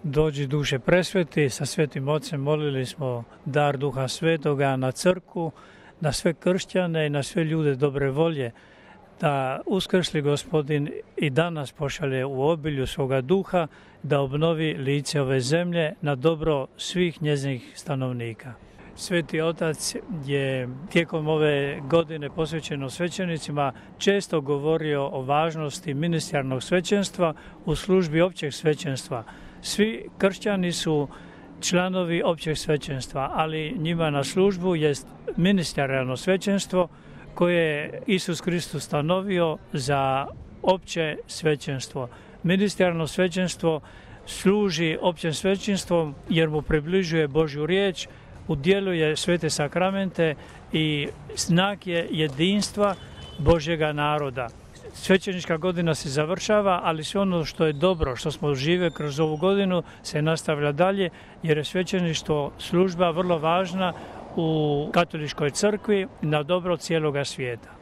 Dođi duše presveti, sa Svetim Ocem molili smo dar Duha Svetoga na crkvu, na sve kršćane i na sve ljude dobre volje, da uskrsli Gospodin i danas pošalje u obilju svoga duha, da obnovi lice ove zemlje na dobro svih njezinih stanovnika. Sveti Otac je tijekom ove godine posvećeno svećenicima često govorio o važnosti ministerijalnog svećenstva u službi općeg svećenstva. Svi kršćani su članovi općeg svećenstva, ali njima na službu jest ministerijalno svećenstvo koje je Isus Kristus stanovio za opće svećenstvo. Ministerijalno svećenstvo služi općem svećenstvom jer mu približuje Božju riječ, udjeljuje svete sakramente i znak je jedinstva Božjega naroda. Svećenička godina se završava, ali sve ono što je dobro, što smo žive kroz ovu godinu, se nastavlja dalje, jer je svećeništvo služba vrlo važna u katoličkoj crkvi na dobro cijeloga svijeta.